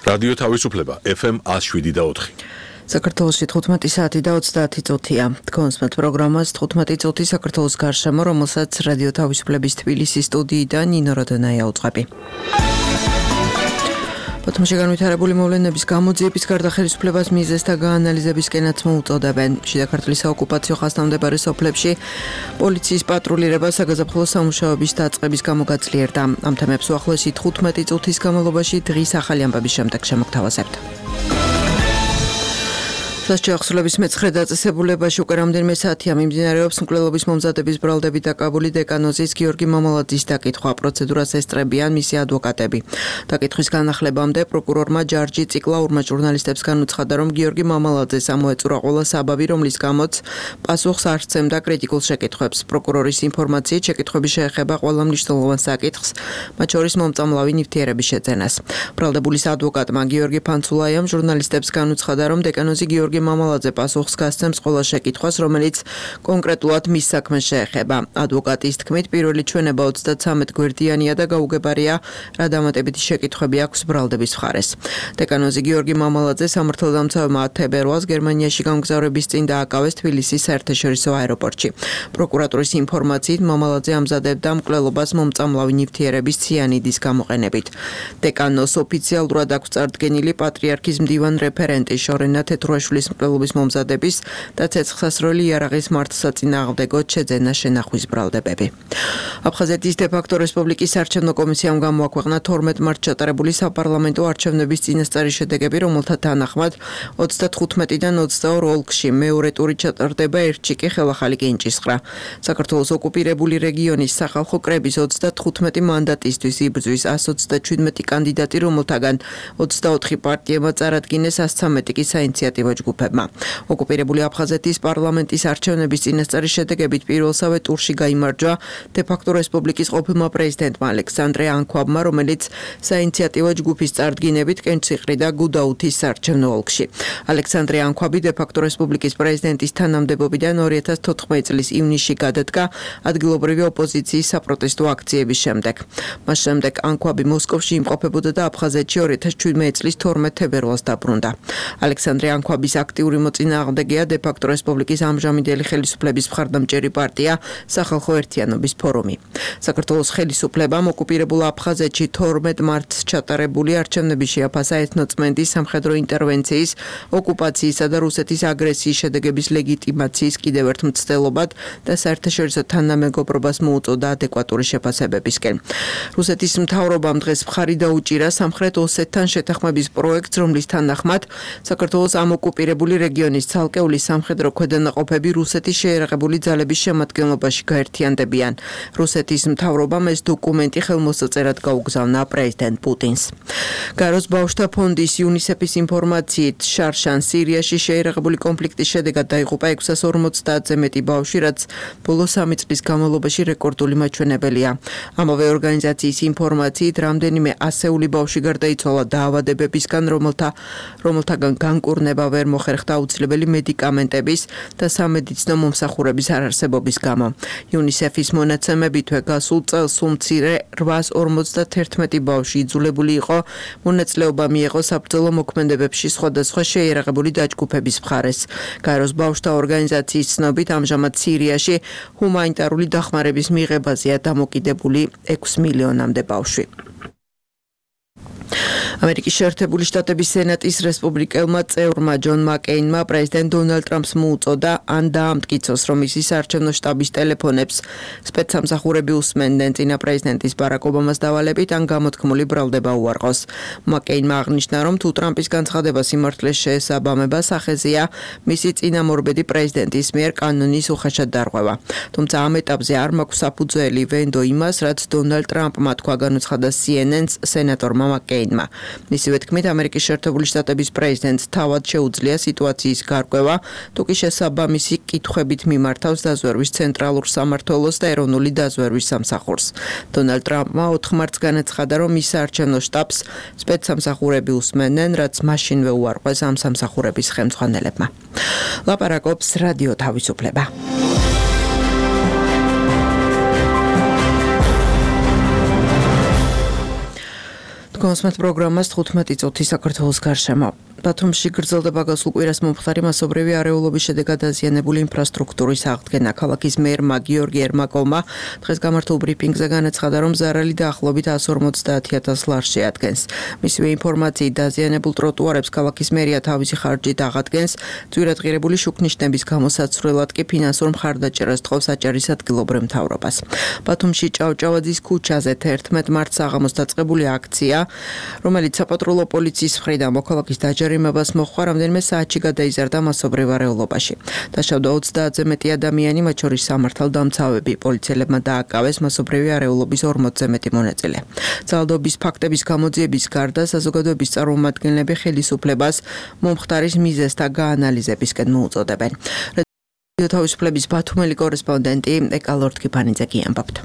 რადიო თავისუფლება FM 107.4. საქართველოში 15 საათი და 30 წუთია. კონსმეთ პროგრამას 15 წუთი საქართველოს გარშემო, რომელსაც რადიო თავისუფლების თბილისის სტუდიიდან ნინო როდონაია უწყები. ბათუმში განვითარებული მოვლენების გამოძიების გარდა ხელისუფლებას მიზეზს და გაანალიზებისკენაც მოუწოდებენ. შიდა ქართლის საოკუპაციო ხაზთამდებარე სოფლებში პოლიციის პატრულირება საგაზაფხულო სამუშაოების დაწყების გამო გაძლიერდა. ამ თემებს უახლოესი 15 წუთის განმავლობაში დღის ახალი ამბების შემდეგ შემოგთავაზებთ. სასჯელი ახსნილების მე-9 დაწესებულებაში უკვე რამდენიმე საათია მიმდინარეობს მკვლელობის მომზადების ბრალდებით დაკავებული დეკანოზის გიორგი მამალაძის დაკითხვა. პროცედურას ესწრებიან მისი ადვოკატები. დაკითხვის განახლებამდე პროკურორმა ჯარჯი ციკლაურმა ჟურნალისტებს განუცხადა, რომ გიორგი მამალაძეს ამოეწურა ყველა საბაბი, რომლის გამოც პასუხს არ სცემდა კრიტიკულ შეკითხვებს. პროკურორის ინფორმაციით შეკითხვები შეეხება ყველა მნიშვნელოვან საკითხს, მათ შორის მომწამლავი ნივთიერების შეძენას. ბრალდებულის ადვოკატმა გიორგი ფანცულაიამ ჟურნალისტებს განუცხადა, რომ დეკანოზი გიორგი მამალაძე პასუხს გასცემს ყველა შეკითხვას, რომელიც კონკრეტულად მის საქმეს შეეხება. ადვოკატის თქმით, პირველი ჩვენება 33 გვერდიანია და გაუგებარია, რა დამატებითი შეკითხვები აქვს ბრალდების მხარეს. დეკანოზი გიორგი მამალაძე სამართალდამცავებმა 10 ფებრუარს გერმანიაში გამგზავრების წინ დააკავეს თბილისის საერთაშორისო აეროპორტში. პროკურატურის ინფორმაციით, მამალაძე ამზადებდა მკვლელობას მომწამლავი ნივთიერების ციანიდის გამოყენებით. დეკანოს ოფიციალურად აქვს წარდგენილი პატრიარქის მდივან რეფერენტი შორენა თეთრუაშვილის მკვლელობის მომზადების და ცეცხლსასროლი იარაღის მართლსაწინააღმდეგო შეძენა შენახვის ბრალდებები. აფხაზეთის დე-ფაქტო რესპუბლიკის არჩევნო კომისიამ გამოაქვეყნა 12 მარტს ჩატარებული საპარლამენტო არჩევნების წინასწარი შედეგები, რომელთა თანახმად 35-დან 22 ოლქში მეორე ტური ჩატარდება, ერთში კი ხელახალი კენჭისყრა. საქართველოს ოკუპირებული რეგიონის სახალხო კრების 35 მანდატისთვის იბრძვის 127 კანდიდატი, რომელთაგან 24 პარტიებმა წარადგინეს, 113 კი საინიციატივო ჯგუფებმა. ოკუპირებული აფხაზეთის პარლამენტის არჩევნების წინასწარი შედეგებით პირველსავე ტურში გაიმარჯვა დე-ფაქტო რესპუბლიკის ყოფილმა პრეზიდენტმა ალექსანდრე ანქვაბმა, რომელიც საინიციატივო ჯგუფის წარდგინებით კენჭისყრი და გუდაუთის საარჩევნო ოლქში. ალექსანდრე ანქვაბი დე-ფაქტო რესპუბლიკის პრეზიდენტის თანამდებობიდან 2014 წლის ივნისში გადადგა ადგილობრივი ოპოზიციის საპროტესტო აქციების შემდეგ. მას შემდეგ ანქვაბი მოსკოვში იმყოფებოდა და აფხაზეთში 2017 წლის 12 თებერვალს დაბრუნდა. ალექსანდრე ანქვაბის აქტიური მოწინააღმდეგეა დე-ფაქტო რესპუბლიკის ამჟამინდელი ხელისუფლების მხარდამჭერი პარტია სახალხო ერთიანობის ფორუმი. საქართველოს ხელისუფლებამ ოკუპირებულ აფხაზეთში 12 მარტს ჩატარებული არჩევნების შეაფასა ეთნოწმენდის, სამხედრო ინტერვენციის, ოკუპაციისა და რუსეთის აგრესიის შედეგების ლეგიტიმაციის კიდევ ერთ მცდელობად და საერთაშორისო თანამეგობრობას მოუწოდა ადეკვატური შეფასებებისკენ. რუსეთის მთავრობამ დღეს მხარი დაუჭირა სამხრეთ ოსეთთან შეთანხმების პროექტს, რომლის თანახმად საქართველოს ამ ოკუპირებული რეგიონის ცალკეული სამხედრო ქვედანაყოფები რუსეთის შეიარაღებული ძალების შემადგენლობაში გაერთიანდებიან. რუსეთის მთავრობამ ეს დოკუმენტი ხელმოსაწერად გაუგზავნა პრეზიდენტ პუტინს. გაროს ბავშვთა ფონდის იუნისეფის ინფორმაციით, შარშან სირიაში შეიარაღებული კონფლიქტის შედეგად დაიღუპა 650-ზე მეტი ბავშვი, რაც ბოლო 3 წლის განმავლობაში რეკორდული მაჩვენებელია. ამავე ორგანიზაციის ინფორმაციით, რამდენიმე ასეული ბავშვი გარდაიცვალა დაავადებებისგან, რომელთაგან განკურნება ვერ მოხერხდა აუცილებელი მედიკამენტების და სამედიცინო მომსახურების არარსებობის გამო. იუნისეფის მონაცემებითვე გასულ წელს უმცირე 851 ბავშვი იძულებული იყო მონაწილეობა მიეღო საბრძოლო მოქმედებებში სხვადასხვა შეიარაღებული დაჯგუფების მხარეს. გაეროს ბავშვთა ორგანიზაციის ცნობით, ამჟამად სირიაში ჰუმანიტარული დახმარების მიღებაზეა დამოკიდებული 6 მილიონამდე ბავშვი. ამერიკის შეერთებული შტატების სენატის რესპუბლიკელმა წევრმა ჯონ მაკეინმა პრეზიდენტ დონალდ ტრამპს მოუწოდა ან დაამტკიცოს, რომ მისი საარჩევნო შტაბის ტელეფონებს სპეცსამსახურები უსმენდნენ წინა პრეზიდენტის ბარაკ ობამას დავალებით, ან გამოთქმული ბრალდება უარყოს. მაკეინმა აღნიშნა, რომ თუ ტრამპის განცხადება სიმართლეს შეესაბამება, სახეზეა მისი წინამორბედი პრეზიდენტის მიერ კანონის უხეშად დარღვევა. თუმცა ამ ეტაპზე არ მაქვს საფუძველი ვენდო იმას, რაც დონალდ ტრამპმა თქვა, განუცხადა CNN-ს სენატორმა მაკეინმა. მისივე თქმით, ამერიკის შეერთებული შტატების პრეზიდენტს თავად შეუძლია სიტუაციის გარკვევა, თუ კი შესაბამისი კითხვებით მიმართავს დაზვერვის ცენტრალურ სამმართველოს და ეროვნული დაზვერვის სამსახურს. დონალდ ტრამპმა 4 მარტს განაცხადა, რომ მის საარჩევნო შტაბს სპეცსამსახურები უსმენდნენ, რაც მაშინვე უარყვეს ამ სამსახურების ხელმძღვანელებმა. ლაპარაკობს რადიო თავისუფლება. Თქვენს პროგრამას 15 წუთი საქართველოს გარშემო. ბათუმში გრძელდება გასულ კვირას მომხდარი მასობრივი არეულობის შედეგად დაზიანებული ინფრასტრუქტურის აღდგენა. ქალაქის მერმა გიორგი ერმაკოვმა დღეს გამართულ ბრიფინგზე განაცხადა, რომ ზარალი დაახლოებით 150,000 ლარს შეადგენს. მისივე ინფორმაციით დაზიანებულ ტროტუარებს ქალაქის მერია თავისი ხარჯით აღადგენს. ძვირადღირებული შუქნიშნების გამოსაცვლელად კი ფინანსურ მხარდაჭერას თხოვს აჭარის ადგილობრივ მთავრობას. ბათუმში ჭავჭავაძის ქუჩაზე 11 მარტს საღამოს დაწყებული აქცია, რომელიც საპატრულო პოლიციის მხრიდან მოქალაქის დაჯერიმებას მოჰყვა, რამდენიმე საათში გადაიზარდა მასობრივ არეულობაში. დაშავდა 30-ზე მეტი ადამიანი, მათ შორის სამართალდამცავები. პოლიციელებმა დააკავეს მასობრივი არეულობის 40-ზე მეტი მონაწილე. ძალადობის ფაქტების გამოძიების გარდა საზოგადოების წარმომადგენლები ხელისუფლებას მომხდარის მიზეზთა გაანალიზებისკენ მოუწოდებენ. რადიო თავისუფლების ბათუმელი კორესპონდენტი ეკალორთქიფანიძე გიამბობთ.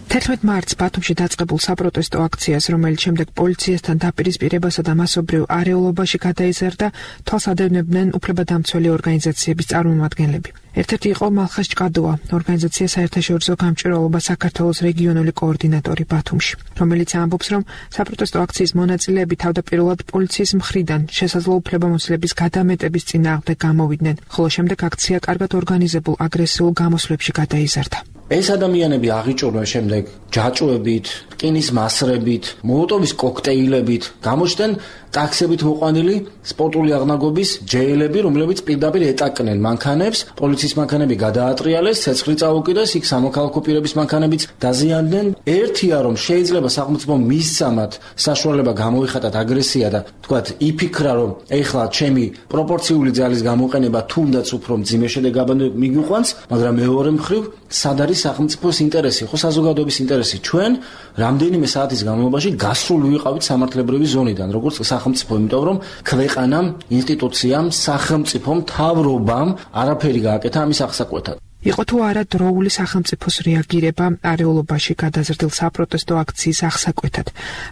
11 მარტს ბათუმში დაწყებულ საპროტესტო აქციას, რომელიც შემდეგ პოლიციასთან დაპირისპირებასა და მასობრივ არეულობაში გადაიზარდა, თვალს ადევნებდნენ უფლებადამცველი ორგანიზაციების წარმომადგენლები. ერთ-ერთი იყო მალხას ჭკადოა, ორგანიზაცია საერთაშორისო გამჭვირვალობა საქართველოს რეგიონული კოორდინატორი ბათუმში, რომელიც ამბობს, რომ საპროტესტო აქციის მონაწილეები თავდაპირველად პოლიციის მხრიდან შესაძლო უფლებამოსილების გადამეტების წინააღმდეგ გამოვიდნენ, ხოლო შემდეგ აქცია კარგად ორგანიზებულ აგრესიულ გამოსვლებში გადაიზარდა. ეს ადამიანები აღიჭურვენ შემდეგ ჯაჭვებით, რკინის მასრებით, მოლოტოვის კოქტეილებით, გამოჩნდნენ ტაქსებით მოყვანილი სპორტული აღნაგობის ჯეილები, რომლებიც პირდაპირ ეტაკნენ მანქანებს, პოლიციის მანქანები გადაატრიალეს, ცეცხლი წაუკიდეს, იქ სამოქალაქო პირების მანქანებიც დაზიანდნენ. ერთია, რომ შეიძლება სახელმწიფომ მისცამათ საშუალება გამოიხატათ აგრესია და თქვათ იფიქრა, რომ ეხლა ჩემი პროპორციული ძალის გამოყენება თუნდაც უფრო მძიმე შედეგად მიგიყვანს, მაგრამ მეორე მხრივ სად არის სახელმწიფოს ინტერესი, ხო საზოგადოების ინტერესი. ჩვენ რამდენიმე საათის განმავლობაში გასრული ვიყავით სამართლებრივი ზონიდან, როგორც სახელმწიფო, იმიტომ რომ ქვეყანამ, ინსტიტუციამ, სახელმწიფომ, მთავრობამ არაფერი გააკეთა ამის აღსაკვეთად. იყო თუ არა დროული სახელმწიფოს რეაგირება არეულობაში გადაზრდილ საპროტესტო აქციის აღსაკვეთად.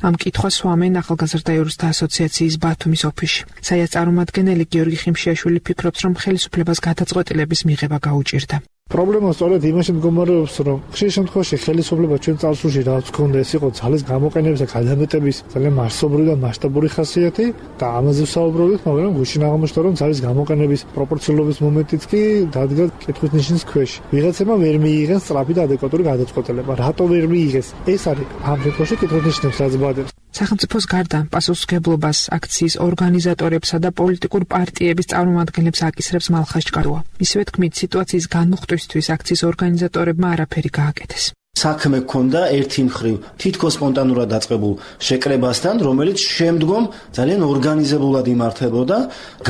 ამ კითხვას სვამენ ახალგაზრდა იურისტთა ასოციაციის ბათუმის ოფისში. საიას წარმომადგენელი გიორგი ხიმშიაშვილი ფიქრობს, რომ ხელისუფლებას გადაწყვეტილების მიღება გაუჭირდა. პრობლემა სწორედ იმაში მდგომარეობს, რომ ხშირ შემთხვევაში ხელისუფლება ჩვენ წარსულში რაც ქონდა, ეს იყო ძალის გამოყენების და გადამეტების ძალიან მასშტაბური და მასშტაბური ხასიათი და ამაზე ვსაუბრობთ, მაგრამ გუშინ აღმოჩნდა, რომ ძალის გამოყენების პროპორციულობის მომენტიც კი დადგა კითხვის ნიშნის ქვეშ. ვიღაცებმა ვერ მიიღეს სწრაფი და ადეკვატური გადაწყვეტილება. რატო ვერ მიიღეს? ეს არის ამ შემთხვევაში კითხვის ნიშნებს რაც ბადებს. სახელმწიფოს გარდა პასუხისმგებლობას აქციის ორგანიზატორებსა და პოლიტიკურ პარტიების წარმომადგენლებს აკისრებს მალხას ჭკადოა. მისივე თქმით, სიტუაციის განმუხტვისთვის აქციის ორგანიზატორებმა არაფერი გააკეთეს. საქმე ჰქონდა ერთი მხრივ თითქოს სპონტანურად დაწყებულ შეკრებასთან, რომელიც შემდგომ ძალიან ორგანიზებულად იმართებოდა,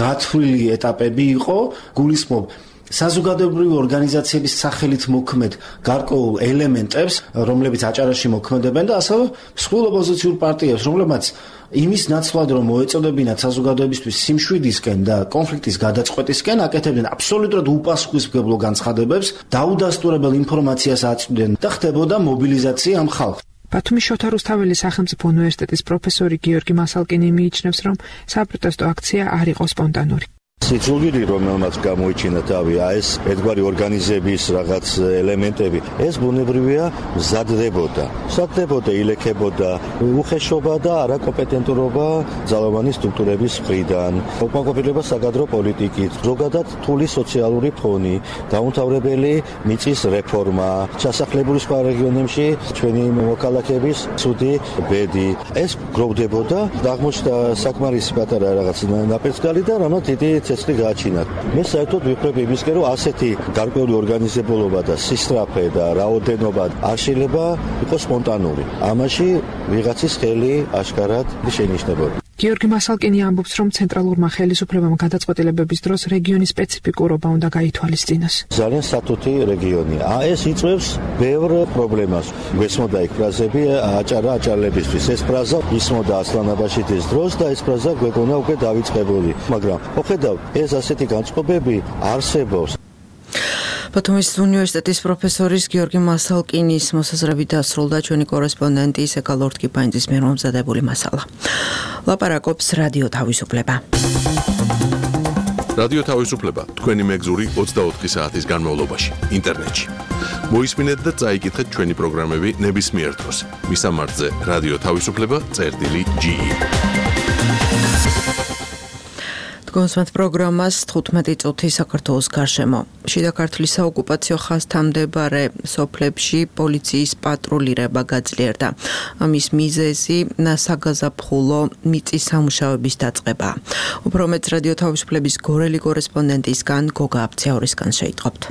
გათვლილი ეტაპები იყო, გულისხმობ საზოგადოებრივი ორგანიზაციების სახელით მოქმედ გარკვეულ ელემენტებს, რომლებიც აჭარაში მოქმედებენ და ასევე მსხვილ ოპოზიციურ პარტიებს, რომლებმაც იმის ნაცვლად რომ მოეწოდებინათ საზოგადოებისთვის სიმშვიდისკენ და კონფლიქტის გადაწყვეტისკენ აკეთებდნენ აბსოლუტურად უპასუხისმგებლო განცხადებებს, დაუდასტურებელ ინფორმაციას აწვდნენ და ხდებოდა მობილიზაცია ამ ხალხს. ბათუმის შოთა რუსთაველის სახელმწიფო უნივერსიტეტის პროფესორი გიორგი მასალკინი მიიჩნევს, რომ საპროტესტო აქცია არ იყო სპონტანური. სიძულვილი, რომელმაც გამოიჩინა თავი, ეს ერთგვარი ორგანიზების რაღაც ელემენტები, ეს ბუნებრივია მზადდებოდა, ილექებოდა უხეშობა და არაკომპეტენტურობა ძალოვანი სტრუქტურების მხრიდან, უკმაყოფილება საკადრო პოლიტიკით, ზოგადად რთული სოციალური ფონი, დაუმთავრებელი მიწის რეფორმა, ჩასახლებული სხვა რეგიონებში ჩვენი მოქალაქეების ცუდი ბედი. ეს გროვდებოდა, აღმოჩნდა საკმარისი პატარა რაღაც ნაპერწკალი და რამაც დიდი ცეცხლი გააჩინათ. მე საერთოდ ვიფიქრებ იმისკენ, რომ ასეთი გარკვეული ორგანიზებულობა და სისწრაფე და რაოდენობა არ შეიძლება იყოს სპონტანური. ამაში ვიღაცის ხელი აშკარად შეინიშნებოდა. გიორგი მასალკინი ამბობს, რომ ცენტრალურმა ხელისუფლებამ გადაწყვეტილებების დროს რეგიონის სპეციფიკურობა უნდა გაითვალისწინოს. ძალიან სათუთი რეგიონია. ეს იწვევს ბევრ პრობლემას. გვესმოდა იქ ფრაზები აჭარლებისთვის. ეს ფრაზა ისმოდა ასლანაბაშიძის დროს და ეს ფრაზა გვეკონა უკვე დავიწყებული. მაგრამ მოხედავ, ეს ასეთი განწყობები არსებობს. ბათუმის უნივერსიტეტის პროფესორის გიორგი მასალკინის მოსაზრებით დასრულდა ჩვენი კორესპონდენტი ეკალორთქიფანიძის მიერ მომზადებული მასალა. ლაპარაკობს რადიო თავისუფლება. რადიო თავისუფლება თქვენი მეგზური 24 საათის განმავლობაში ინტერნეტში. მოისმინეთ და წაიკითხეთ ჩვენი პროგრამები ნებისმიერ დროს. მისამართზე რადიო თავისუფლება წერტილი.ge. გონსმათ პროგრამას 15 წუთი საქართველოს გარშემო. შიდა ქართლის საოკუპაციო ხაზთან მდებარე სოფლებში პოლიციის პატრულირება გაძლიერდა. ამის მიზეზი საგაზაფხულო მიწის სამუშაოების დაწყება. უფრო მეტ რადიო თავისუფლების გორელი კორესპონდენტისგან გოგა აბციაურისგან შეიტყობთ.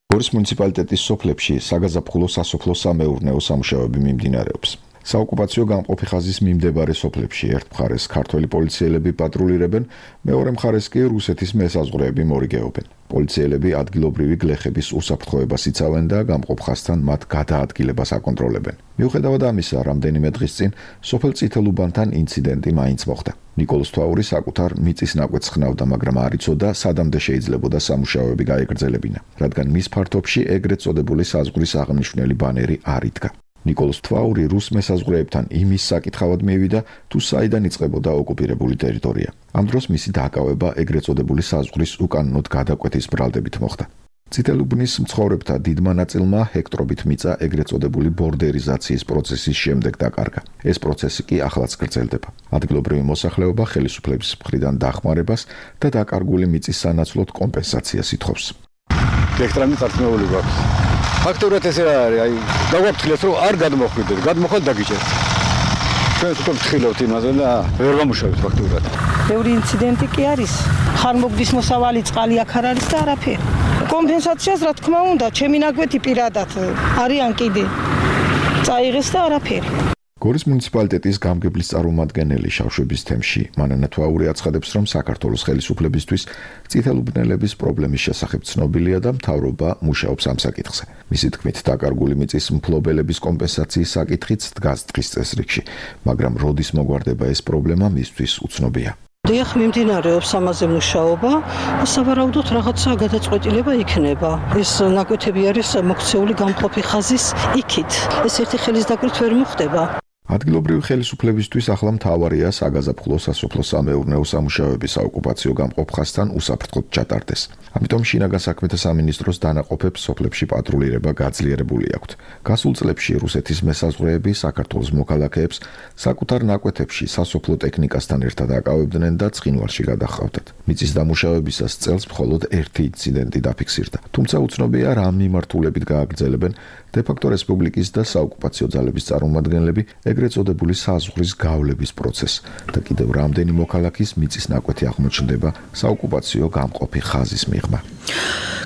გორის მუნიციპალიტეტის სოფლებში საგაზაფხულო სასოფლო-სამეურნეო სამუშაოები მიმდინარეობს. საოკუპაციო გამყოფი ხაზის მიმდებარე სოფლებში ერთ მხარეს ქართველი პოლიციელები პატრულირებენ, მეორე მხარეს კი რუსეთის მესაზღვრეები მორიგეობენ. პოლიციელები ადგილობრივი გლეხების უსაფრთხოებას იცავენ და გამყოფ ხაზთან მათ გადაადგილებას აკონტროლებენ. მიუხედავად ამისა, რამდენიმე დღის წინ სოფელ წითელუბანთან ინციდენტი მაინც მოხდა. ნიკოლოზ თვაური საკუთარ მიწის ნაკვეთს ხნავდა, მაგრამ არ იცოდა სადამდე შეიძლებოდა სამუშაოები გაეგრძელებინა, რადგან მის ფართობში ეგრეთ წოდებული საზღვრის აღნიშნული ბანერი არ იდგა. ნიკოლოზ თვაური რუს მესაზღვრეებთან იმის საკითხავად მივიდა, თუ საიდან იწყებოდა ოკუპირებული ტერიტორია. ამ დროს მისი დაკავება ეგრეთ წოდებული საზღვრის უკანონოდ გადაკვეთის ბრალდებით მოხდა. წითელუბნის მცხოვრებთა დიდმა ნაწილმა ჰექტრობით მიწა ეგრეთ წოდებული ბორდერიზაციის პროცესის შემდეგ დაკარგა. ეს პროცესი კი ახლაც გრძელდება. ადგილობრივი მოსახლეობა ხელისუფლების მხრიდან დახმარებას და დაკარგული მიწის სანაცვლოდ კომპენსაციას ითხოვს. ჰექტრამი წარსნეული გვაქვს. ფაქტურად ეს არის, დავაფრთხილეთ, რომ არ გადმოხვიდეთ, გადმოხვალ დაგიჭერთ. ჩვენ უკვე ვთხილობთ იმაზე და ვერ ვამუშავებთ ფაქტურად. ბევრი ინციდენტი კი არის. ხანმოგდის მოსავალი წყალი აქ არ არის და არაფერი. კომპენსაციას რა თქმა უნდა, ჩემი ნაკვეთი პირადად არიან კიდე. წაიღეს და არაფერი. გორის მუნიციპალიტეტის გამგებლის წარმომადგენელი შავშების თემში მანანა თვაური აცხადებს, რომ საქართველოს ხელისუფლებისთვის წითელუბნელების პრობლემის შესახებ ცნობილია და მთავრობა მუშაობს ამ საკითხზე. მისი თქმით, დაკარგული მიწის მფლობელების კომპენსაციის საკითხიც დგას დღის წესრიგში, მაგრამ როდის მოგვარდება ეს პრობლემა მისთვის უცნობია. დიახ, მიმდინარეობს ამაზე მუშაობა, სავარაუდოდ რაღაცა გადაწყვეტილება იქნება. ეს ნაკვეთები არის მოქცეული გამყოფი ხაზის იქით. ეს ერთი ხელის დაკვირთ ვერ მოხდება. ადგილობრივი ხელისუფლებისთვის ახლა მთავარია საგაზაფხულო სასოფლო-სამეურნეო სამუშაოების საოკუპაციო გამყოფ ხაზთან უსაფრთხოდ ჩატარდეს. ამიტომ შინაგან საქმეთა სამინისტროს დანაყოფებს სოფლებში პატრულირება გაძლიერებული აქვთ. გასულ წლებში რუსეთის მესაზღვრეები საქართველოს მოქალაქეებს საკუთარ ნაკვეთებში სასოფლო ტექნიკასთან ერთად აკავებდნენ და ცხინვალში გადაჰყავდათ. მიწის დამუშავებისას წელს მხოლოდ ერთი ინციდენტი დაფიქსირდა. თუმცა უცნობია რა მიმართულებით გააგრძელებენ დე-ფაქტო რესპუბლიკის და საოკუპაციო ძალების წარმომადგენლები ეგრეთ წოდებული საზღვრის გავლების პროცესს და კიდევ რამდენი მოქალაქის მიწის ნაკვეთი აღმოჩნდება საოკუპაციო გამყოფი ხაზის მიღმა.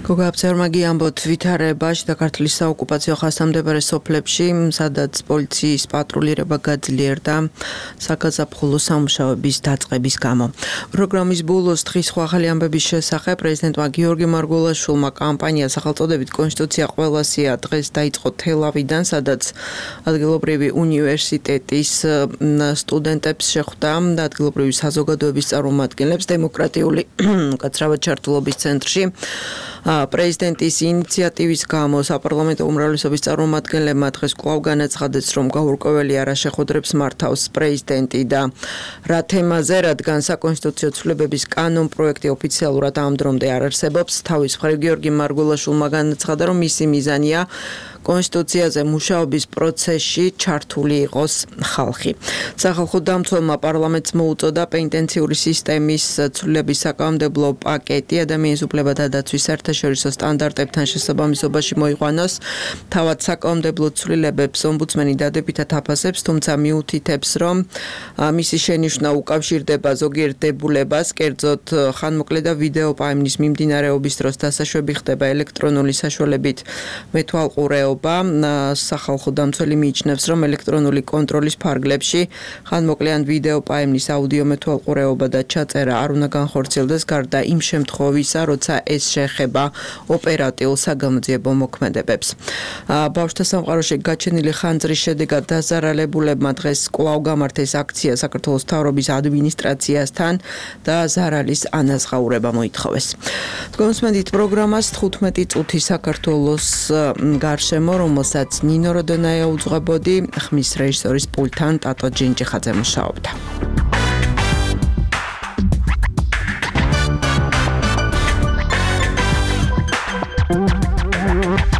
გოგა აბციაურმა ამბობთ ვითარება შიდა ქართლის საოკუპაციო ხაზთან მდებარე სოფლებში, სადაც პოლიციის პატრულირება გაძლიერდა საგაზაფხულო სამუშაოების დაწყების გამო. პროგრამის ბოლოს დღის ახალი ამბების შესახებ პრეზიდენტმა გიორგი მარგველაშვილმა კამპანია სახელწოდებით კონსტიტუცია ყველასია დღეს დაიწყო თელავიდან, სადაც ადგილობრივი უნივერსიტეტის სტუდენტებს შეხვდა და ადგილობრივი საზოგადოების წარმომადგენლებს დემოკრატიული უკაცრავად ჩართულობის ცენტრში. პრეზიდენტის ინიციატივის გამო საპარლამენტო უმრავლესობის წარმომადგენლებმა დღეს კვლავ განაცხადეს, რომ გაურკვეველი არა შეხვედრებს მართავს პრეზიდენტი და რა თემაზე, რადგან საკონსტიტუციო ცვლილებების კანონ პროექტი ოფიციალურად ამ დრომდე არ არსებობს. თავის მხრივ გიორგი მარგველაშვილმა განაცხადა, რომ მისი მიზანია კონსტიტუციაზე მუშაობის პროცესში ჩართული იყოს ხალხი. სახალხო დამცველმა პარლამენტს მოუწოდა პენიტენციური სისტემის ცვლილების საკანონმდებლო პაკეტი ადამიანის უფლებათა დაცვის საერთაშორისო სტანდარტებთან შესაბამისობაში მოიყვანოს. თავად საკანონმდებლო ცვლილებებს ომბუდსმენი დადებითად აფასებს, თუმცა მიუთითებს, რომ მისი შენიშვნა უკავშირდება ზოგიერთ დებულებას, კერძოდ ხანმოკლე და ვიდეო პაემნის მიმდინარეობის დროს დასაშვები ხდება ელექტრონული საშუალებით მეთვალყურეობა. სახალხო დამცველი მიიჩნევს, რომ ელექტრონული კონტროლის ფარგლებში ხანმოკლე ან ვიდეო პაემნის აუდიო მეთვალყურეობა და ჩაწერა არ უნდა განხორციელდეს გარდა იმ შემთხვევისა, როცა ეს შეეხება ოპერატიულ საგამოძიებო მოქმედებებს. ბავშვთა სამყაროში გაჩენილი ხანძრის შედეგად დაზარალებულებმა დღეს კვლავ გამართეს აქცია საქართველოს მთავრობის ადმინისტრაციასთან და ზარალის ანაზღაურება მოითხოვეს. გონსმენდით პროგრამას 15 წუთი საქართველოს გარშემო, რომელსაც ნინო როდონაია უძღვებოდი, ხმის რეჟისორის პულტთან ტატო ჯინჯიხაძე მუშაობდა.